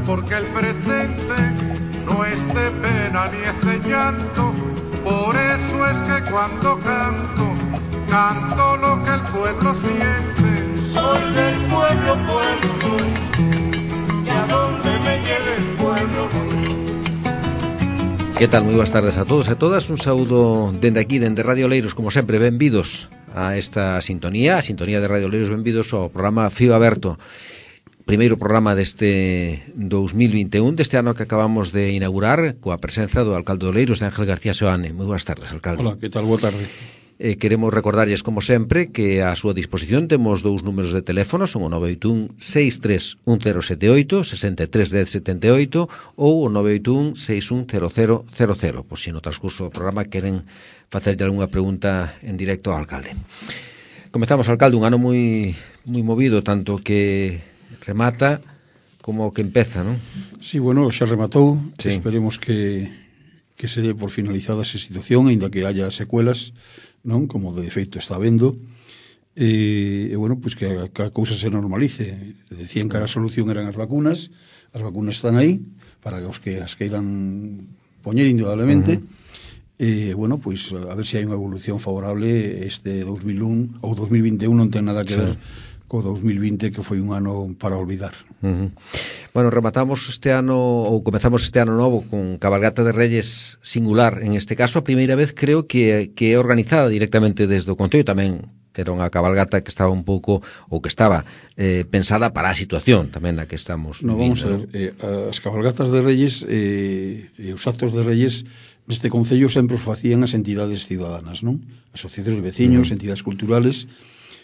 porque el presente no es de pena ni es de llanto. Por eso es que cuando canto, canto lo que el pueblo siente. Soy del pueblo, pueblo soy, y a donde me lleve el pueblo. Que tal? Moi boas tardes a todos e todas. Un saúdo dende aquí, dende Radio Oleiros, como sempre, benvidos a esta sintonía, a sintonía de Radio Oleiros, benvidos ao programa Fío Aberto. Primeiro programa deste 2021, deste ano que acabamos de inaugurar, coa presenza do alcalde de Oleiros, de Ángel García Seoane. Moi boas tardes, alcalde. Hola, que tal? Boa tarde. Queremos recordarlles, como sempre, que a súa disposición temos dous números de teléfono, son o 981 631078, 631078, ou o 981 610000, pois se no transcurso do programa queren facerlle algunha pregunta en directo ao alcalde. Comezamos, alcalde, un ano moi movido, tanto que remata como que empeza, non? Sí, bueno, xa rematou. Sí. Esperemos que se dé por finalizada esa situación, ainda que haya secuelas, non? Como de feito está habendo. E bueno, pois que a cousa se normalice. Decían que a solución eran as vacunas están aí, para que os que as queiran poñer indudablemente. E bueno, pois a ver se hai unha evolución favorable. Este 2001 ou 2021 non ten nada que ver co 2020, que foi un ano para olvidar. Bueno, rematamos este ano, ou comezamos este ano novo con cabalgata de Reyes singular, en este caso a primeira vez creo que é organizada directamente desde o Concello. Tamén era unha cabalgata que estaba un pouco, ou que estaba pensada para a situación tamén na que estamos Vamos a ver, as cabalgatas de Reyes e os actos de Reyes neste Concello sempre os facían as entidades ciudadanas, non? Asociacións de veciños, entidades culturales.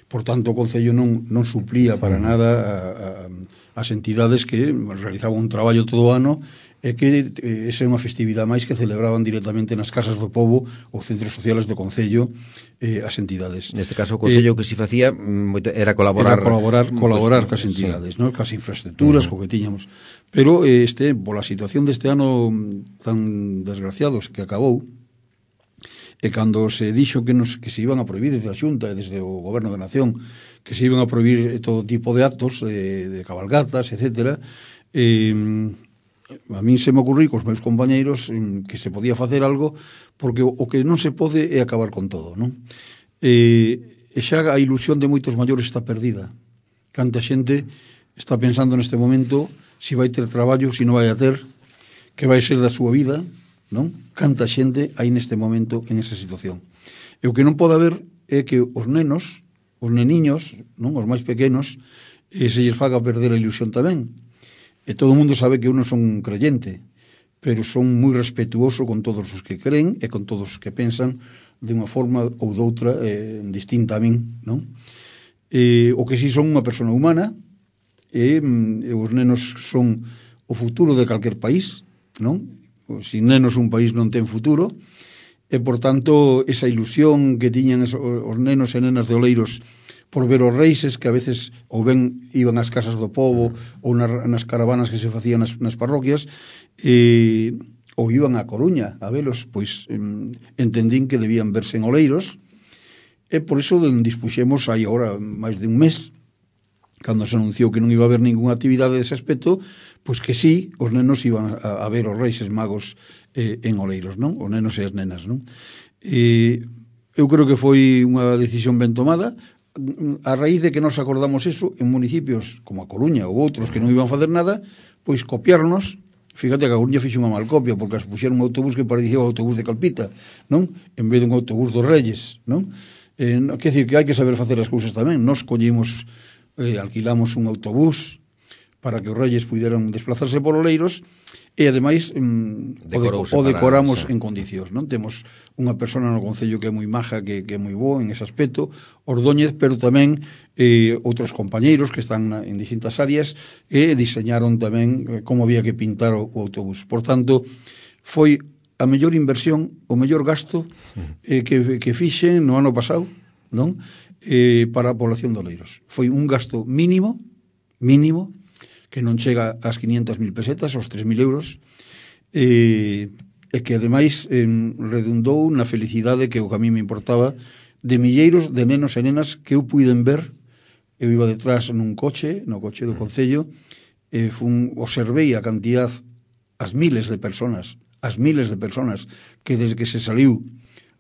Por tanto, o Concello non suplía para nada as entidades que realizaban un traballo todo o ano e que esa é unha festividade máis que celebraban directamente nas casas do pobo ou centros sociales do Concello as entidades. Neste caso, o Concello que si facía era colaborar cas entidades, non? Cas infraestructuras, co que tiñamos. Pero pola situación deste ano tan desgraciados que acabou, e cando se dixo que se iban a prohibir desde a Xunta e desde o Goberno da Nación, que se iban a prohibir todo tipo de actos, de cabalgatas, etcétera, a min se me ocurriu cos meus compañeiros que se podía facer algo, porque o que non se pode é acabar con todo, non? E xa a ilusión de moitos maiores está perdida. Canta xente está pensando neste momento se vai ter traballo, se non vai a ter, que vai ser da súa vida, non? Canta xente aí neste momento en esa situación. E o que non pode haber é que os nenos, os neniños, non? Os máis pequenos, se lles faga perder a ilusión tamén. E todo o mundo sabe que eu non son creyente, pero son moi respetuoso con todos os que creen e con todos os que pensan de unha forma ou doutra distinta a min, non? O que si son unha persona humana, e os nenos son o futuro de calquer país, non? Sin nenos un país non ten futuro, e por tanto esa ilusión que tiñan os nenos e nenas de Oleiros por ver os reixes que a veces ou ben iban ás casas do pobo ou nas caravanas que se facían nas parroquias, ou iban a Coruña a velos, pois entendín que debían verse en Oleiros, e por iso dispuxemos aí agora máis de un mes, cando se anunciou que non iba a haber ninguna actividade dese aspecto, pois que sí, os nenos iban a ver os Reixes Magos en Oleiros, non? Os nenos e as nenas, non? Eu creo que foi unha decisión ben tomada, a raíz de que nos acordamos eso en municipios como a Coruña ou outros que non iban a facer nada, pois copiarnos. Fíjate que a Coruña fixo unha mal copia, porque as puxeron un autobús que parecía o autobús de Calpita, non? En vez de un autobús dos Reyes, non? Quer dizer que hai que saber facer as cousas tamén. Nos collemos, alquilamos un autobús para que os Reyes puderan desplazarse por Oleiros, e ademais o decoramos en condicións, non? Temos unha persona no Concello que é moi maja, que é moi boa en ese aspecto, Ordóñez, pero tamén outros compañeiros que están en distintas áreas e diseñaron tamén como había que pintar o autobús. Por tanto, foi a mellor inversión, o mellor gasto que fixen no ano pasado, non? Para a población de Oleiros. Foi un gasto mínimo, que non chega ás 500.000 pesetas, aos 3.000 euros, e que ademais redundou na felicidade que o que a mí me importaba de milleiros de nenos e nenas que eu puiden ver. Eu iba detrás nun coche, no coche do Concello, observei a cantidad, as miles de personas que desde que se saliu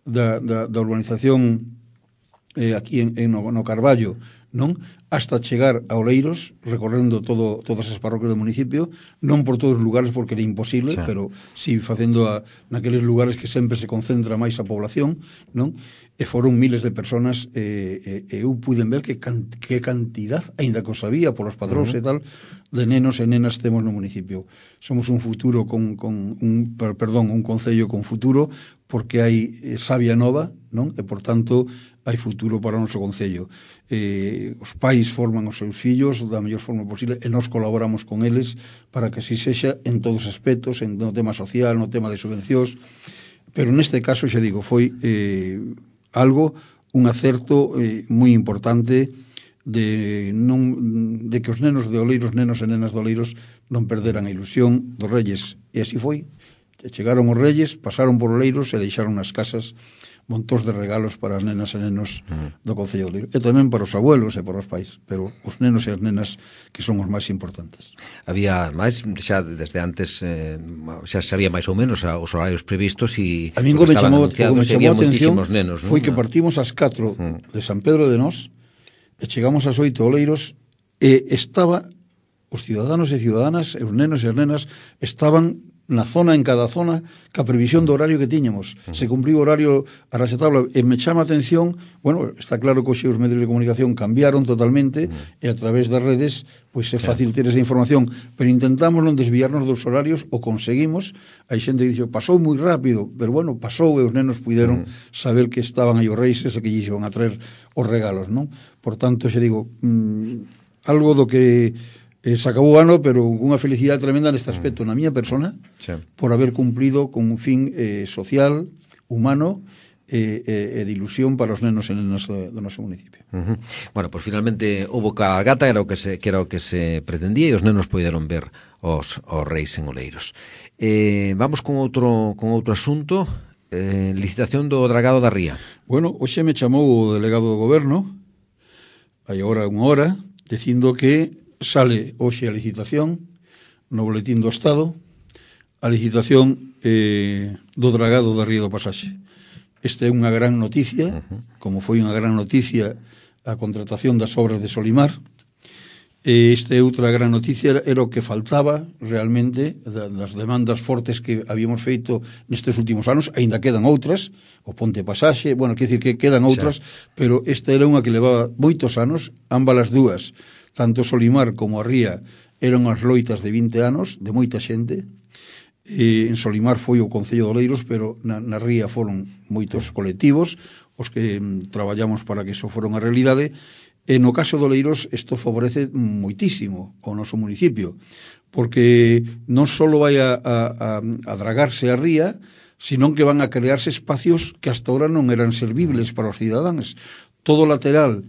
da urbanización aquí no Carballo, non, hasta chegar a Oleiros, recorrendo todas as parroquias do municipio, non por todos os lugares porque era imposible, pero si facendo naqueles lugares que sempre se concentra máis a población, non? E foron miles de personas, eu puiden ver que cantidad, aínda que o sabía polos padróns e tal, de nenos e nenas temos no municipio. Somos un futuro un concello con futuro, porque hai savia nova, non? E por tanto hai futuro para o noso concello. Os pais forman os seus fillos da mellor forma posible e nós colaboramos con eles para que así sexa en todos os aspectos, no tema social, no tema de subvencións, pero neste caso, xa digo, foi un acerto moi importante de que os nenos de Oleiros, nenos e nenas de Oleiros, non perderan a ilusión dos Reyes. E así foi. Chegaron os Reyes, pasaron por Oleiros e deixaron nas casas montóns de regalos para as nenas e nenos do Concello de Oleiros. E tamén para os abuelos e para os pais, pero os nenos e as nenas que son os máis importantes. Había máis, xa desde antes, xa sabía máis ou menos os horarios previstos e a min me chamou a atención nenos, foi que partimos ás 4 de San Pedro de Nós e chegamos ás 8 a Oleiros e estaba os ciudadanos e ciudadanas e os nenos e as nenas estaban na zona, en cada zona, ca previsión do horario que tiñamos. Se cumpriu o horario a raxatabla e me chama a atención, bueno, está claro que hoxe os medios de comunicación cambiaron totalmente e a través das redes pois é fácil ter esa información, pero intentamos non desviarnos dos horarios, o conseguimos. Hai xente que dixo, pasou moi rápido, pero bueno, pasou e os nenos puderon saber que estaban aí os reis e que lle iban a traer os regalos, non? Por tanto, xa digo, algo do que se acabou o ano, pero unha felicidade tremenda neste aspecto na miña persona, por haber cumplido con un fin social, humano e de ilusión para os nenos e nenas do noso municipio. Bueno, pues finalmente houve cabalgata, era o que se pretendía, e os nenos poideron ver os reis en Oleiros. Vamos con outro asunto, licitación do dragado da Ría. Bueno, hoxe me chamou o delegado do goberno, hai agora unha hora, dicindo que sale hoxe a licitación no boletín do Estado, a licitación do dragado da Ría do Pasaxe. Esta é unha gran noticia, como foi unha gran noticia a contratación das obras de Solimar. Esta é outra gran noticia, era o que faltaba realmente das demandas fortes que habíamos feito nestes últimos anos, aínda quedan outras, o Ponte Pasaxe, bueno, quer dicir que quedan outras, pero esta era unha que levaba moitos anos, ambas as dúas, tanto Solimar como a Ría eran as loitas de 20 anos, de moita xente. En Solimar foi o Concello de Oleiros, pero na Ría foron moitos colectivos os que traballamos para que iso fora unha realidade. E no caso de Oleiros isto favorece moitísimo ao noso municipio, porque non só vai a dragarse a Ría, sino que van a crearse espacios que hasta ahora non eran servibles para os cidadáns. Todo o lateral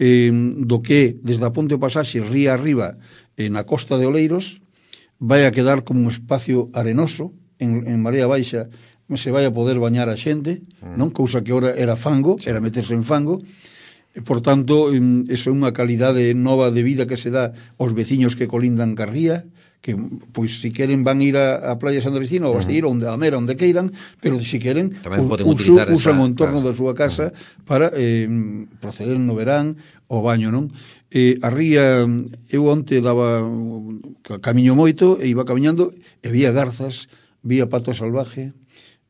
do que desde a Ponte o Pasaxe ría arriba na costa de Oleiros vai a quedar como un espacio arenoso en marea baixa, se vai a poder bañar a xente, non? Cousa que ora era fango, era meterse en fango. Por tanto, iso é unha calidade nova de vida que se dá aos veciños que colindan ca Ría, que, pois, si queren van ir a Playa San Drestina ou a Basteiro, onde a Mera, onde queiran, pero se queren usan o entorno da súa casa para proceder no verán ao baño, non? A Ría, eu onte daba camiño moito e iba camiñando e vía garzas, vía pato salvaje,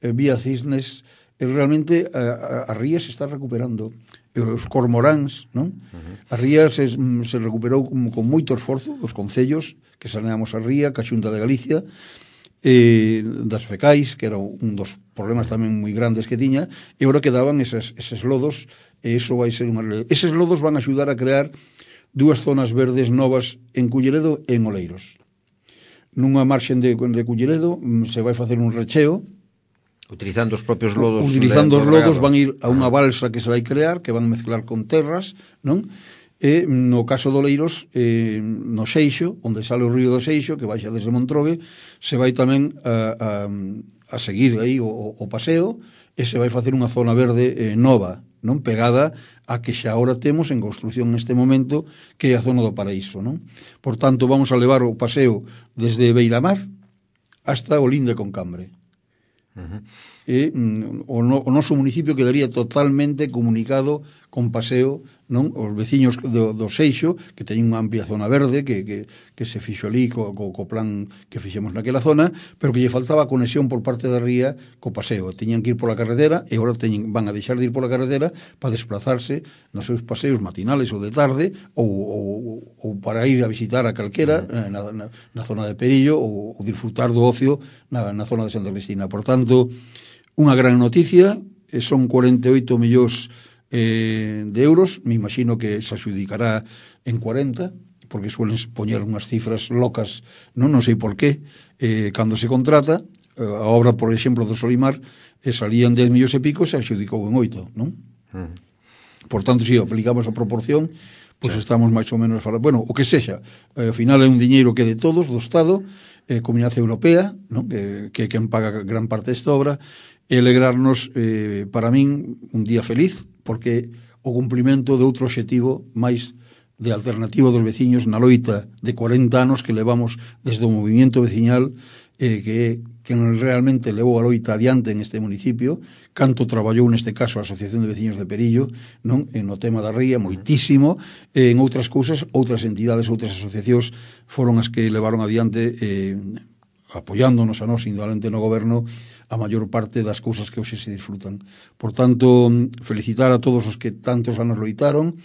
vía cisnes, e realmente a Ría se está recuperando. Os cormoráns, non? A Ría se recuperou con moito esforzo dos concellos que saneamos a Ría, ca Xunta de Galicia, das fecais, que era un dos problemas tamén moi grandes que tiña, e agora quedaban eses lodos, e iso vai ser unha realidade. Eses lodos van a axudar a crear dúas zonas verdes novas en Culleredo e en Oleiros. Nunha marxen de Culleredo se vai facer un recheo, utilizando os propios lodos. Utilizando os lodos van ir a unha balsa que se vai crear, que van mezclar con terras, non? E no caso de Oleiros, no Seixo, onde sale o río do Seixo, que baixa desde Montrogue, se vai tamén a seguir aí o paseo, e se vai facer unha zona verde nova, non pegada a que xa ahora temos en construción neste momento, que é a zona do Paraíso, non? Por tanto, vamos a levar o paseo desde Beiramar hasta Olinda con Cambre. E o noso municipio quedaría totalmente comunicado con paseo, non? Os veciños do Seixo, que teñen unha amplia zona verde que se fixo ali co plan que fixemos naquela zona, pero que lle faltaba conexión por parte da ría co paseo. Teñan que ir pola carretera e agora van a deixar de ir pola carretera para desplazarse nos seus paseos matinales ou de tarde ou para ir a visitar a calquera na zona de Perillo ou disfrutar do ocio na zona de Santa Cristina. Por tanto, unha gran noticia, son 48 millóns de euros, me imagino que se adjudicará en 40, porque suelen poñer unhas cifras locas, non sei por qué, cando se contrata, a obra, por exemplo, do Solimar, salían 10 millóns e pico, se adjudicou en 8, non? Por tanto, se aplicamos a proporción, pois estamos máis ou menos falando, bueno, o que sexa, ao final é un diñeiro que é de todos, do Estado, Comunidade Europea, non? Que quen paga gran parte desta obra, e alegrarnos, para min, un día feliz, porque o cumplimento de outro obxectivo máis de alternativa dos veciños na loita de 40 anos que levamos desde o movimento veciñal, que realmente levou a loita adiante en este municipio, canto traballou neste caso a Asociación de Veciños de Perillo, non? No tema da ría, moitísimo, en outras cousas, outras entidades, outras asociacións foron as que levaron adiante, apoiándonos a nós, indudablemente no goberno, a maior parte das cousas que hoxe se disfrutan. Por tanto, felicitar a todos os que tantos anos loitaron,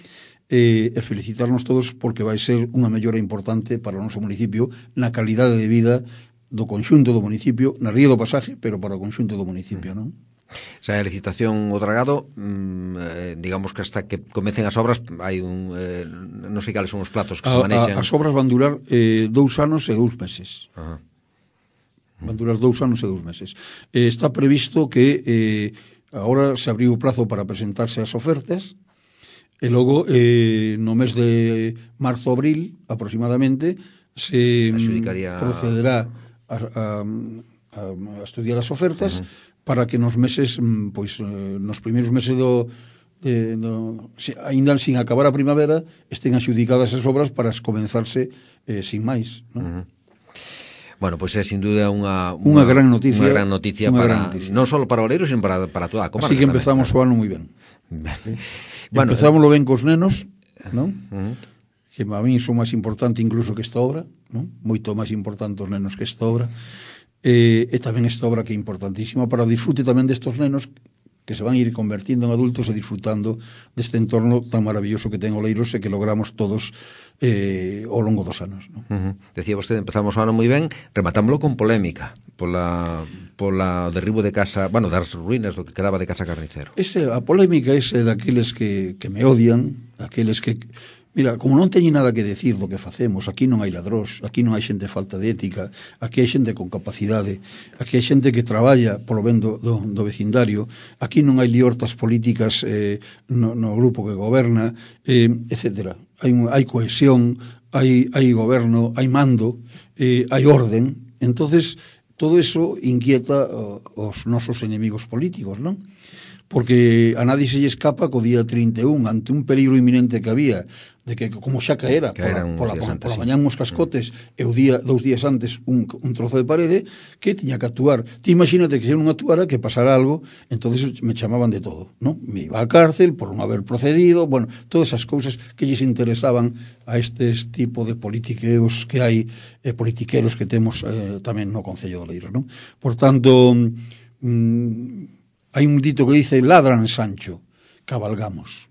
e felicitarnos todos porque vai ser unha mellora importante para o noso municipio na calidade de vida do conxunto do municipio, na Ría do Pasaje, pero para o conxunto do municipio, non? Xa a licitación o dragado, digamos que hasta que comecen as obras hai non sei cales son os plazos que se manexan. As obras van durar 2 anos e 2 meses. Van durar 2 anos e 2 meses. Está previsto que agora se abriu o plazo para presentarse as ofertas e logo no mes de marzo-abril aproximadamente se procederá a estudiar as ofertas para que nos meses, pois nos primeiros meses ainda sin acabar a primavera estén adxudicadas as obras para comenzarse sin máis, non? Bueno, pois é sin duda unha gran noticia, non só para Oleiros, sino para toda a comarca. Así que empezamos o ano moi ben. Bueno, empezámoslo ben cos nenos, non? Que a mí son máis importante incluso que esta obra, non? Moito máis importante os nenos que esta obra. E tamén esta obra que é importantísima para o disfrute tamén destos nenos que se van a ir convertindo en adultos e disfrutando deste entorno tan maravilloso que ten Oleiros e que logramos todos ao longo dos anos, non? Decía vostede, empezamos o ano moi ben, rematámoslo con polémica pola derribo de casa, bueno, das ruínas do que quedaba de Casa Carnicero. A polémica é daqueles que me odian, aqueles que... Mira, como non teñen nada que decir do que facemos, aquí non hai ladróns, aquí non hai xente falta de ética, aquí hai xente con capacidade, aquí hai xente que traballa polo ben do vecindario, aquí non hai liortas políticas no grupo que goberna, etc. Hai cohesión, hai goberno, hai mando, hai orden. Entonces, todo eso inquieta os nosos enemigos políticos, non? Porque a nadie se lle escapa que o día 31, ante un peligro inminente que había, de que como xa caera pola mañán uns cascotes e o día 2 días antes un trozo de parede, que tiña que actuar. Ti imagínate que se non actuara, que pasara algo, entonces me chamaban de todo, non? Me iba á cárcel por non haber procedido, bueno, todas esas cousas que lles interesaban a estes tipo de politiqueos que hai, politiqueros que temos tamén no Concello de Oleiros, non? Por tanto, hai un dito que dice, ladran Sancho, cabalgamos,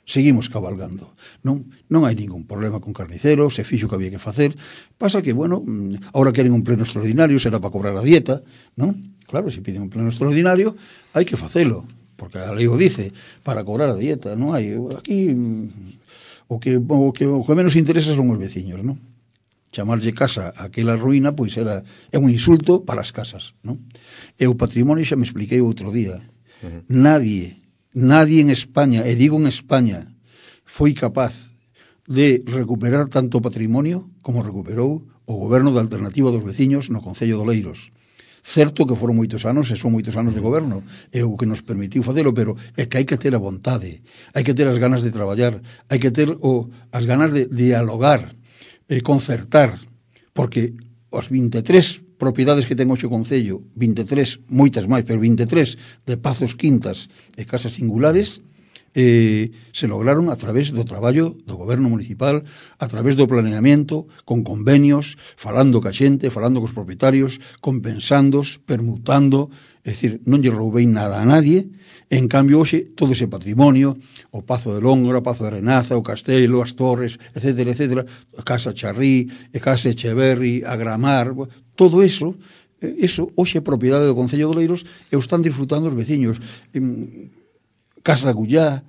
seguimos cabalgando, non hai ningún problema con Carnicero, se fixo que había que facer, pasa que, bueno, ahora queren un pleno extraordinario, será para cobrar a dieta, non? Claro, se piden un pleno extraordinario, hai que facelo, porque a lei o dice, para cobrar a dieta, non hai, aquí, o que menos interesa son os veciños, non? Chamarlle casa a aquela ruína, pois é un insulto para as casas, non? E o patrimonio xa me expliquei outro día. Nadie en España, e digo en España, foi capaz de recuperar tanto patrimonio como recuperou o goberno da Alternativa dos Veciños no Concello de Oleiros. Certo que foron moitos anos, e son moitos anos de goberno, é o que nos permitiu facelo, pero é que hai que ter a vontade, hai que ter as ganas de traballar, hai que ter as ganas de dialogar, concertar, porque os 23 propiedades que ten hoxe o Concello, 23, moitas máis, pero 23 de pazos, quintas e casas singulares, se lograron a través do traballo do goberno municipal, a través do planeamiento, con convenios, falando ca xente, falando cos propietarios, compensándos, permutando, é dicir, non lle roubei nada a nadie. En cambio, hoxe, todo ese patrimonio, o Pazo de Lóngora, o Pazo de Renaza, o Castelo, as Torres, etcétera, etcétera, a Casa Charrí, a Casa Echeverri, a Gramar, todo eso, hoxe é propiedade do Concello de Oleiros e o están disfrutando os veciños. Casa Agullá,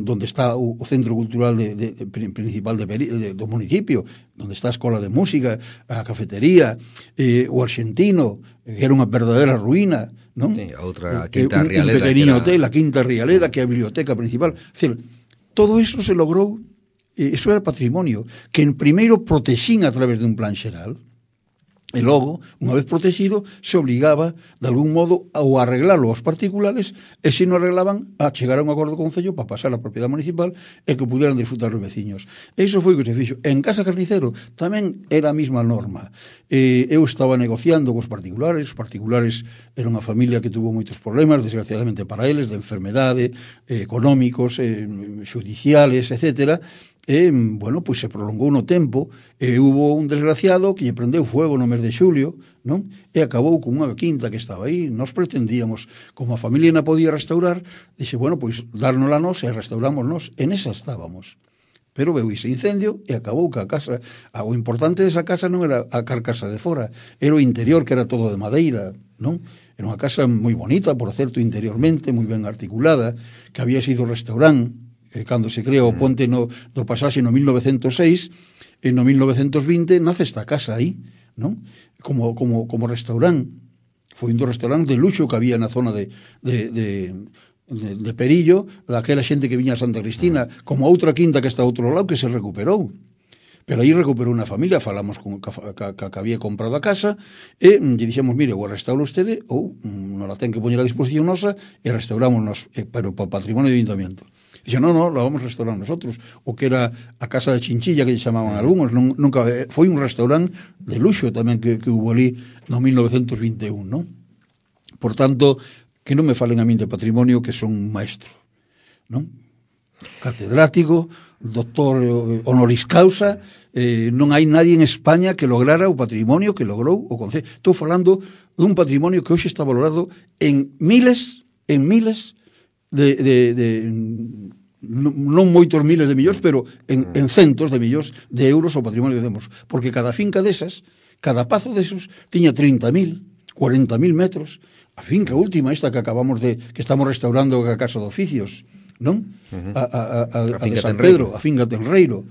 donde está o centro cultural principal do municipio, donde está a escola de música, a cafetería, o Arxentino, que era unha verdadeira ruína, non? Sí, a outra Quinta Rialeda, un pequeniño hotel, a Quinta Rialeda, que é a biblioteca principal. É dicir, todo eso se logrou, eso era patrimonio, que en primeiro protexín a través dun plan xeral, e logo, unha vez protegido, se obligaba, de algún modo, a arreglalo aos particulares, e se non arreglaban, a chegar a un acordo con o Concello para pasar a propiedade municipal e que puderan disfrutar os veciños. E iso foi o que se fixo. En Casa Carnicero tamén era a mesma norma. Eu estaba negociando cos particulares, os particulares era unha familia que tuvo moitos problemas, desgraciadamente para eles, de enfermedade, económicos, judiciales, etcétera. Bueno, pois se prolongou no tempo, hubo un desgraciado que lle prendeu fuego no mes de xulio, non? E acabou con unha quinta que estaba aí. Nos pretendíamos, como a familia non podía restaurar, dixe, bueno, pois dárnosla nos e restaurámonos. En esa estábamos. Pero veu ese incendio e acabou que a casa, o importante desa casa non era a carcasa de fora, era o interior, que era todo de madeira, non? Era unha casa moi bonita, por certo, interiormente, moi ben articulada, que había sido restaurante, cando se crea o ponte do pasaxe no 1906, e no 1920 nace esta casa aí, non? Como restaurante. Foi un dos restaurantes de luxo que había na zona de Perillo, daquela xente que viña a Santa Cristina, como a outra quinta que está ao outro lado, que se recuperou. Pero aí recuperou unha familia, falamos con que había comprado a casa, e lle dixemos, mire, ou restaura usted, ou non la ten que poñer a disposición nosa, e restaurámonos, pero para patrimonio de ayuntamiento. Dixe, no, la vamos a restaurar nosotros. O que era a casa de Chinchilla, que lle chamaban algúns, nunca foi un restaurante de luxo tamén que hubo ali no 1921, non? Por tanto, que non me falen a min de patrimonio, que son un maestro, non? Catedrático, doctor honoris causa, non hai nadie en España que lograra o patrimonio que logrou o Concello. Estou falando dun patrimonio que hoxe está valorado en miles non moitos miles de millóns, pero en centos de millóns de euros o patrimonio que temos, porque cada finca desas, cada pazo desos tiña 30.000, 40.000 metros. A finca última, esta que acabamos que estamos restaurando a Casa de Oficios, non? A de San Pedro, a finca Tenreiro,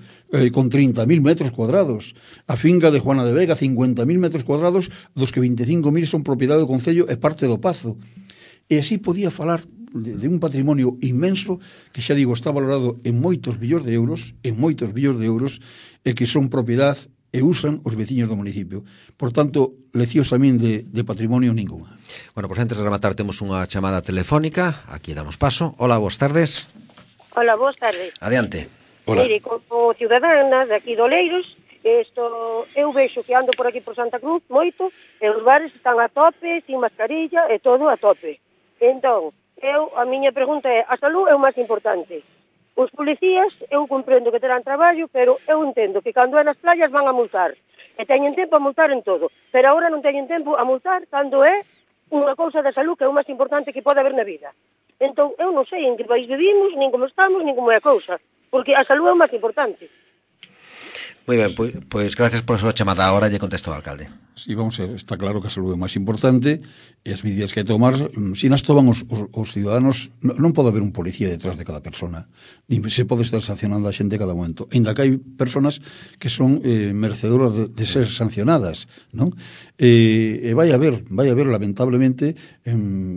con 30.000 metros cuadrados. A finca de Juana de Vega, 50.000 metros cuadrados, dos que 25.000 son propiedade do Concello e parte do Pazo. E así podía falar de un patrimonio inmenso que, xa digo, está valorado en moitos millóns de euros, e que son propiedade e usan os veciños do municipio. Por tanto, leccións a min de patrimonio ninguna. Bueno, pois antes de rematar temos unha chamada telefónica, aquí damos paso. Hola, boas tardes. Hola, boas tardes. Adiante. Hola. Mire, como ciudadana de aquí de Oleiros, eu vexo que ando por aquí por Santa Cruz moito, e os bares están a tope, sin mascarilla, e todo a tope. Entón, a miña pregunta é, a salud é o máis importante. Os policías, eu comprendo que terán traballo, pero eu entendo que cando é nas playas van a multar. E teñen tempo a multar en todo. Pero agora non teñen tempo a multar cando é unha cousa da salud que é o máis importante que pode haber na vida. Entón, eu non sei en que país vivimos, nin como estamos, nin como é a cousa. Porque a salud é o máis importante. Moi ben, pois gracias por a súa chamada. Agora lle contesto ao alcalde. Sí, vamos a ver, está claro que a saúde é máis importante e as medidas que hai que tomar, se nas toman os ciudadanos, non pode haber un policía detrás de cada persona, nin se pode estar sancionando a xente cada momento, ainda que hai personas que son merecedoras de ser sancionadas, non? E vai haber, lamentablemente,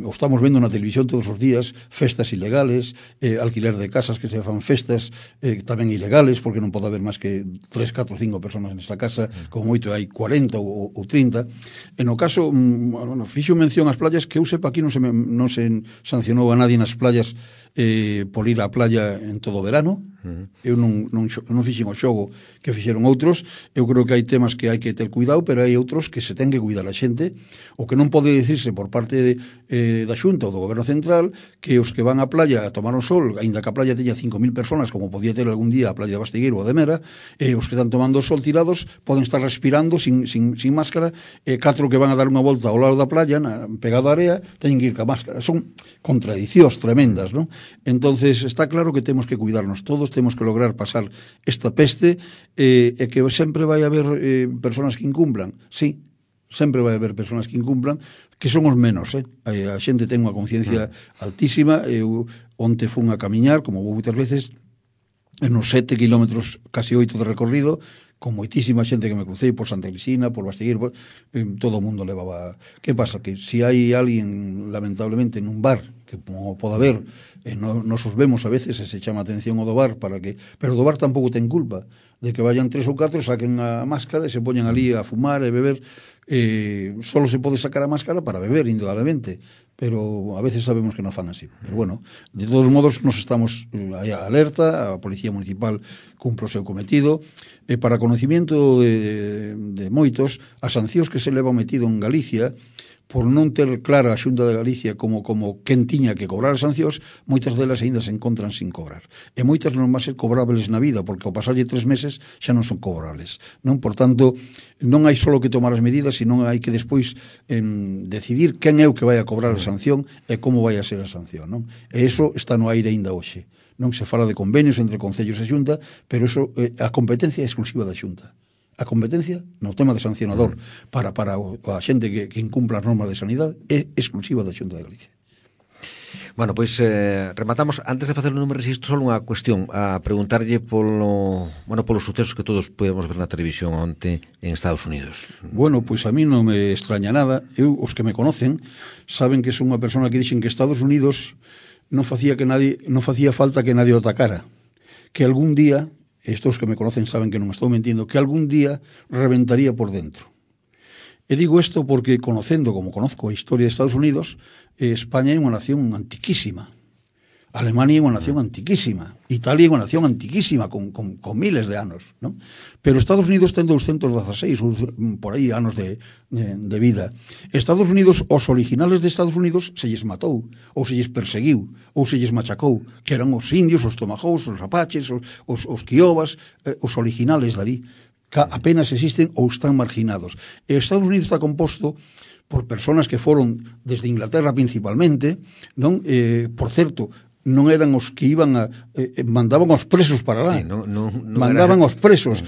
o estamos vendo na televisión todos os días, festas ilegales, alquiler de casas que se fan festas tamén ilegales, porque non pode haber máis que 3, 4 ou 5 personas nesta casa, como moito hai 40 ou 30. En o caso, bueno, fixo mención ás playas, que eu sepa aquí non se sancionou a nadie nas playas por ir á playa en todo o verano. Eu non fixen o xogo que fixeron outros. Eu creo que hai temas que hai que ter cuidado, pero hai outros que se ten que cuidar a xente. O que non pode dicirse por parte da Xunta ou do Goberno Central, que os que van á playa a tomar o sol, aínda que a playa teña 5.000 personas, como podía ter algún día a playa de Bastigueiro ou de Mera, os que están tomando o sol tirados poden estar respirando sin máscara, 4 que van a dar unha volta ao lado da playa, pegado á area, teñen que ir ca máscara. Son contradicións tremendas, non? Entonces está claro que temos que cuidarnos todos, temos que lograr pasar esta peste, e que sempre vai haber personas que incumplan, sí, sempre vai haber personas que incumplan, que son os menos, a xente ten unha conciencia altísima. Eu onte fun a camiñar, como vou moitas veces, en uns 7 kilómetros, casi 8 de recorrido, con moitísima xente que me crucei por Santa Cristina, por Bastigueiro, todo o mundo levaba. Que pasa? Que se hai alguén, lamentablemente, nun bar, que como pode haber, nos os vemos a veces e se chama atención ao do bar, pero do bar tampouco ten culpa de que vayan 3 ou 4, saquen a máscara e se poñan ali a fumar e beber. Solo se pode sacar a máscara para beber, indudablemente, pero a veces sabemos que non fan así. Pero bueno, de todos modos nos estamos alerta, a Policía Municipal cumpre o seu cometido, e para conocimiento de moitos, as sancións que se levan metido en Galicia, por non ter clara a Xunta de Galicia como quen tiña que cobrar as sancións, moitas delas aínda se encontran sin cobrar. E moitas non van ser cobrables na vida, porque ao pasarlle 3 meses xa non son cobrables, non? Por tanto, non hai só que tomar as medidas, sino hai que despois decidir quen é o que vai a cobrar a sanción e como vai a ser a sanción, non? E iso está no aire aínda hoxe. Non se fala de convenios entre concellos e Xunta, pero iso, a competencia é exclusiva da Xunta. A competencia no tema de sancionador para a xente que incumpla as normas de sanidade é exclusiva da Xunta de Galicia. Bueno, pois rematamos. Antes de facer un número registro, só unha cuestión, a preguntarlle polos sucesos que todos podemos ver na televisión onte en Estados Unidos. Bueno, pois a mí non me extraña nada. Os que me conocen saben que son unha persona que dixen que Estados Unidos non facía falta que nadie o atacara, que algún día, estos que me conocen saben que non estou mentindo, que algún día reventaría por dentro. E digo isto porque, conocendo como conozco a historia de Estados Unidos, España é unha nación antiquísima, Alemania é unha nación antiquísima, Italia é unha nación antiquísima, con miles de anos, non? Pero Estados Unidos ten 216 por aí anos de vida. Estados Unidos, os originales de Estados Unidos se lles matou, ou se lles perseguiu, ou se lles machacou, que eran os indios, os tomahawks, os apaches, os kiobas, os originales dali, que apenas existen ou están marginados. E Estados Unidos está composto por personas que foron desde Inglaterra principalmente, non? Por certo, non eran os que iban mandaban os presos para lá, sí, mandaban os presos.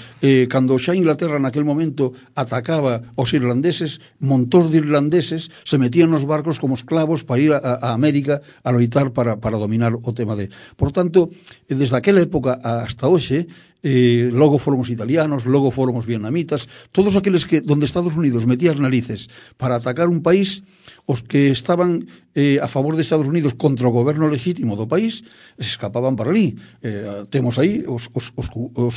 Cando xa Inglaterra naquel momento atacaba os irlandeses, montós de irlandeses se metían nos barcos como esclavos para ir a América a loitar para dominar o tema de... Por tanto, desde aquela época hasta hoxe, logo foron os italianos, logo foron os vietnamitas, todos aqueles que donde Estados Unidos metía as narices para atacar un país, os que estaban a favor de Estados Unidos contra o goberno legítimo do país, se escapaban para ali. Temos aí os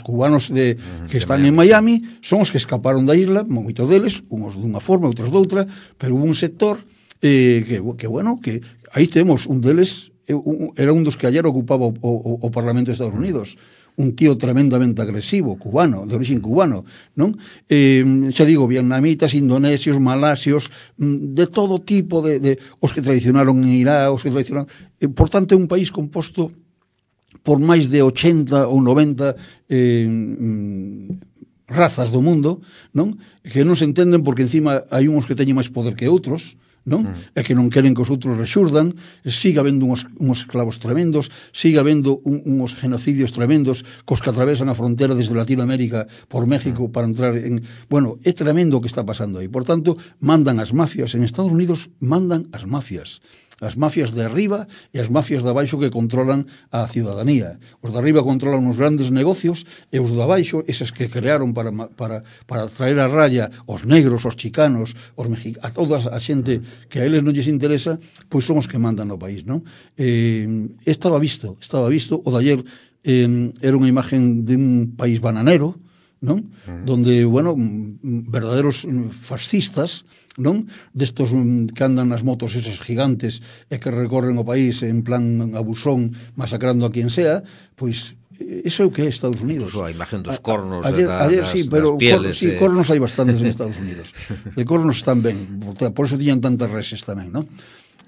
cubanos que están en Miami, son os que escaparon da isla, moitos deles, uns dunha forma, outros doutra, pero hubo un sector que aí temos un deles, era un dos que ayer ocupaba o Parlamento de Estados Unidos, un tío tremendamente agresivo, cubano, de origen cubano, non? Xa digo, vietnamitas, indonesios, malasios, de todo tipo de os que traicionaron en Irak, os que traicionaron... Por tanto, é un país composto por máis de 80 ou 90 razas do mundo, non? Que non se entenden porque encima hai uns que teñen máis poder que outros, non? E que non queren que os outros rexurdan, siga habendo uns esclavos tremendos, siga habendo uns genocidios tremendos cos que atravesan a frontera desde Latinoamérica por México para entrar en... Bueno, é tremendo o que está pasando aí. Por tanto, mandan as mafias. En Estados Unidos mandan as mafias de arriba e as mafias de abaixo que controlan a ciudadanía. Os de arriba controlan os grandes negocios e os de abaixo, eses que crearon para traer a raya os negros, os chicanos, os mexicanos, a toda a xente que a eles non lles interesa, pois son os que mandan no país, non? Estaba visto, o de ayer era unha imagen de un país bananero, non? Donde, bueno, verdaderos fascistas, non? Destos que andan nas motos esas gigantes e que recorren o país en plan abusón, masacrando a quien sea, pois eso é o que é Estados Unidos. Incluso a imagen dos cornos, ayer, sí, pero das pieles. cornos hai bastantes en Estados Unidos. De cornos están ben, por eso tiñan tantas reses tamén, non?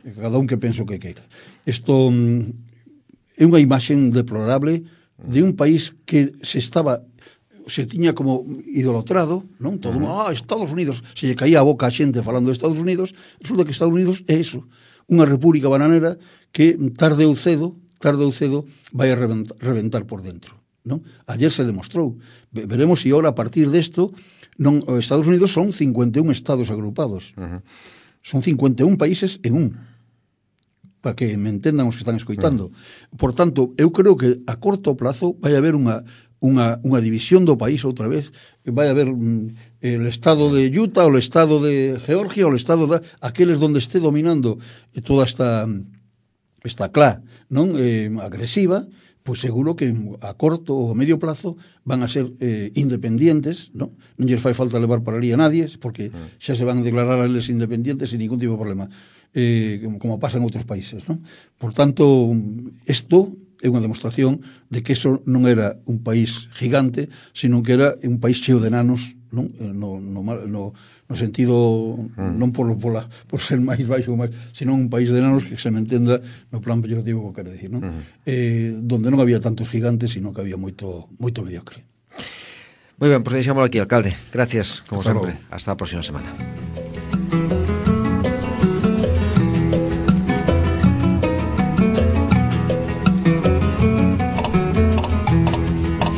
Cada un que penso que queira. Isto é unha imaxen deplorable de un país que se tiña como idolatrado, non? Todo mundo, Estados Unidos, se lle caía a boca a xente falando de Estados Unidos, resulta que Estados Unidos é eso, unha república bananera que tarde ou cedo vai a reventar por dentro, non? Ayer se demostrou. Veremos se ahora a partir desto Estados Unidos son 51 estados agrupados. Son 51 países en un. Para que me entendan os que están escoitando. Por tanto, eu creo que a corto plazo vai haber unha división do país outra vez, vai haber el estado de Utah, o el estado de Georgia, o el estado de aqueles donde esté dominando toda esta clá, non, agresiva, pois seguro que a corto ou a medio plazo van a ser independientes, non lles fai falta levar para ali a nadie, porque xa se van a declarar a eles independientes sin ningún tipo de problema, como pasa en outros países, non? Por tanto, isto é unha demostración de que eso non era un país gigante, sino que era un país cheo de enanos, non? No sentido non por ser máis baixo, sino un país de enanos que se me entenda no plan peyorativo que quero decir, non? Donde non había tantos gigantes, sino que había moito mediocre. Moi ben, pois deixámoslo aquí, alcalde. Gracias, como sempre. Hasta a próxima semana.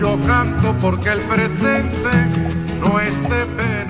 Yo canto porque el presente no es de pena.